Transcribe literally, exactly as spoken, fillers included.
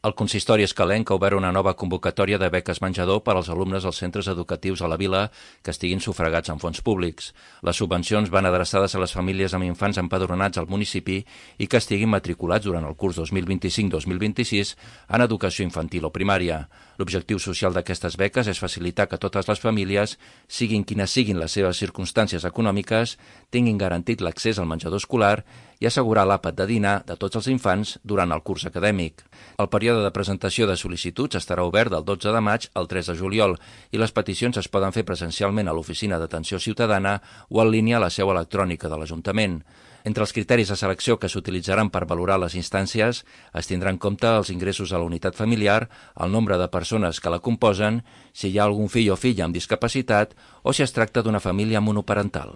El consistori escalenc ha obert una nova convocatòria de beques menjador per als alumnes dels centres educatius a la vila que estiguin sufragats amb fons públics. Les subvencions van adreçades a les famílies amb infants empadronats al municipi i que estiguin matriculats durant el curs dos mil vint-i-cinc dos mil vint-i-sis en educació infantil o primària. L'objectiu social d'aquestes beques és facilitar que totes les famílies, siguin quines siguin les seves circumstàncies econòmiques, tinguin garantit l'accés al menjador escolar i assegurar l'àpat de dinar de tots els infants durant el curs acadèmic. El període de presentació de sol·licituds estarà obert del dotze de maig al tres de juliol i les peticions es poden fer presencialment a l'Oficina d'Atenció Ciutadana o en línia a la seu electrònica de l'Ajuntament. Entre els criteris de selecció que s'utilitzaran per valorar les instàncies es tindrà en compte els ingressos a la unitat familiar, el nombre de persones que la composen, si hi ha algun fill o filla amb discapacitat o si es tracta d'una família monoparental.